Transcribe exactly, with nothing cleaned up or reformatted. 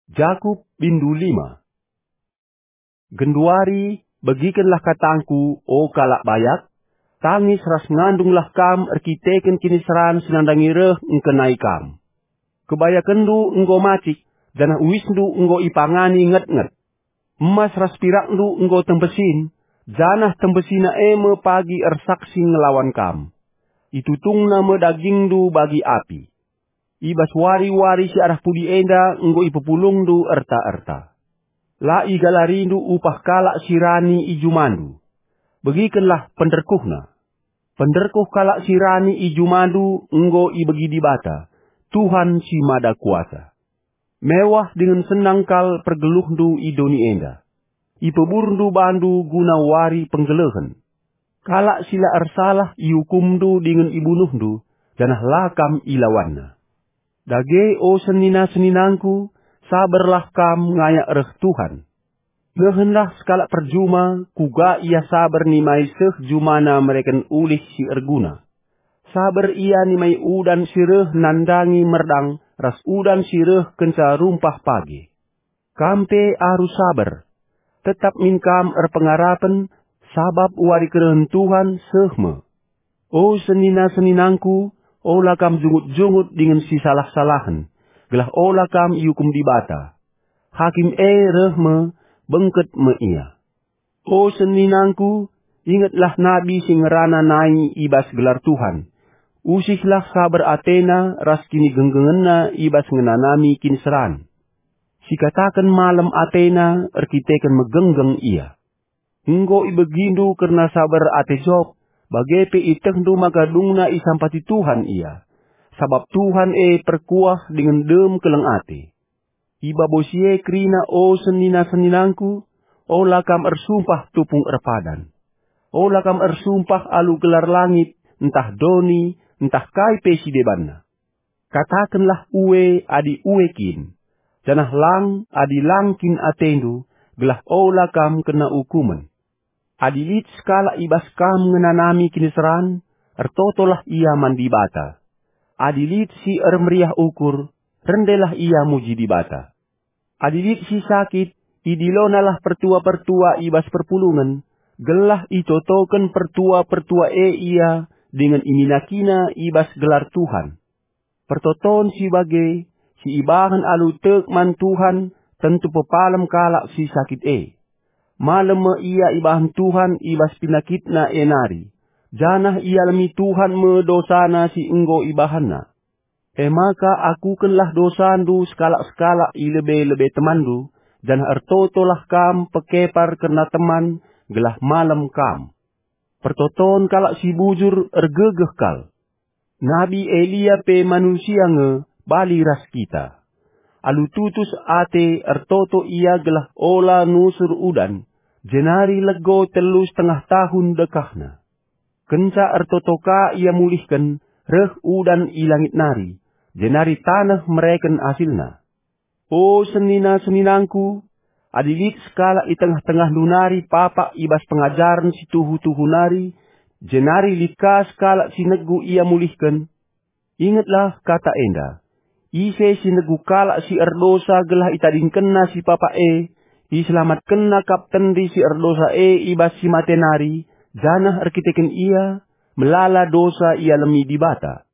Jakup bindu lima. Genduari, begikenlah katangku, o kalak bayak, tangis ras ngandunglah kam erkiteken kiniseran si nandangi reh ngkenai kam. Kebayakenndu enggo macik, janah uisndu enggo ipangani ngetnget. Emas ras pirakndu enggo tembesin, janah tembesina e me pagi ersaksi ngelawan kam. Itutungna me dagingndu bagi api. I bas wari-wari si arah pudi enda enggo ipepulungndu erta-erta. La igalarindu upah kalak si rani i jumandu. Begikenlah penderkuhna. Penderkuh kalak si rani i jumandu enggo ibegi Dibata, Tuhan si Mada Kuasa. Mewah dingen senang kal pergeluhndu i doni enda. Ipeburndu bandu guna wari penggelehen. Kalak si la ersalah iukumndu dingen ibunuhndu, janah la kam ilawanna. Dage, o senina-seninangku, saberlah kam ngayak reh Tuhan. Nehenlah sekalak perjuma, kuga ia saber nimai seh jumana mereken ulih si erguna. Saber ia nimai udan si reh nandangi merdang ras udan si reh kenca rumpah pagi. Kam pe arus saber. Tetap min kam erpengarapen, sabap wari kerehen Tuhan seh me. O senina-seninangku, ola kam jungut-jungut dingen sisalah-salahen, gelah ola kam iukum Dibata. Hakim e reh me, bengket me ia. O seninangku, ingetlah nabi si ngerana nai i bas gelar Tuhan. Usihlah saber atena ras kinigenggengenna i bas ngenanami kiniseran. Sikataken malem atena erkiteken megenggeng ia. Enggo ibegindu kerna saber ate Job, bage pe ietehndu maka dungna isampati Tuhan ia. Sabap Tuhan e perkuah dingen dem keleng ate. I babo si e kerina, o senina-seninangku, ola kam ersumpah tupung erpadan. Ola kam ersumpah alu gelar langit, ntah doni, ntah kai pe si debanna. Katakenlah ue adi ue kin, janah lang adi lang kin atendu, gelah ola kam kena ukumen. Adi lit sekalak i bas kam ngenanami kiniseran, ertotolah ia man Dibata. Adi lit si ermeriah ukur, rendelah ia muji Dibata. Adi lit si sakit, idilonalah pertua-pertua i bas perpulungen, gelah itotoken pertua-pertua e ia dingen iminakina i bas gelar Tuhan. Pertoton si bage, si ibahan alu tek man Tuhan, tentu pepalem kalak si sakit e. Malem me ia ibahan Tuhan i bas pinakitna e nari, janah ialemi Tuhan me dosana si enggo ibahanna. E maka akukenlah dosandu sekalak-sekalak i lebe-lebe temanndu, janah ertotolah kam pekepar kerna teman, gelah malem kam. Pertoton kalak si bujur ergegeh kal. Nabi Elia pe manusia nge bali ras kita. Alu tutus ate ertoto ia gelah ola nusur udan, jenari lego telu setengah tahun dekahna. Kenca ertoto ka ia mulihken, reh udan i langit nari, jenari taneh mereken asilna. O senina-seninangku, adi lit sekalak i tengah-tengahndu nari papak i bas pengajaren si tuhu-tuhu nari, jenari lit ka sekalak si negu ia mulihken, ingetlah kata enda, "Ise si negu kalak si erdosa gelah itadingkenna si papak e, iselamatkenna kap tendi si erdosa e i bas si mate nari, janah erkiteken ia, melala dosa ialemi Dibata."